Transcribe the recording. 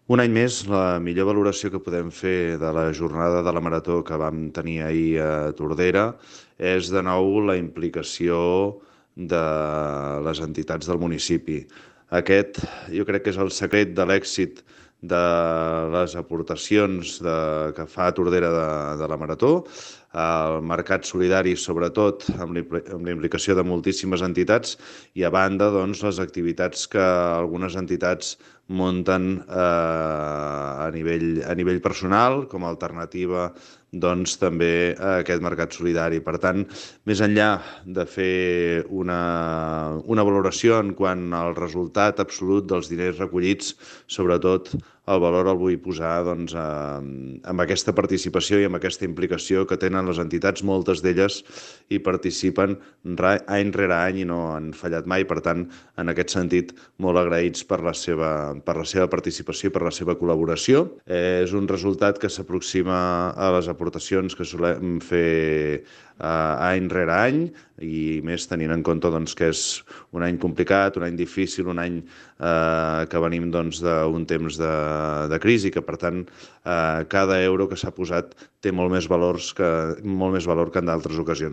Un any més, la millor valoració que podem fer de la jornada de la marató que vam tenir ahir a Tordera és de nou la implicació de les entitats del municipi. Aquest jo crec que és el secret de l'èxit de les aportacions que fa Tordera de la Marató, el mercat solidari, sobretot, amb la implicació de moltíssimes entitats, i a banda, doncs, les activitats que algunes entitats munten a nivell personal, com a alternativa doncs, també a aquest mercat solidari. Per tant, més enllà de fer una valoració en quant al resultat absolut dels diners recollits, sobretot el valor el vull posar doncs, amb aquesta participació i amb aquesta implicació que tenen les entitats, moltes d'elles hi participen any rere any i no han fallat mai. Per tant, en aquest sentit, molt agraïts per la seva participació i per la seva col·laboració. És un resultat que s'aproxima a les aportacions que solem fer any rere any, i més tenint en compte doncs, que és un any complicat, un any difícil, un any que venim doncs, d'un temps de crisi, que per tant cada euro que s'ha posat té molt més valor que en d'altres ocasions.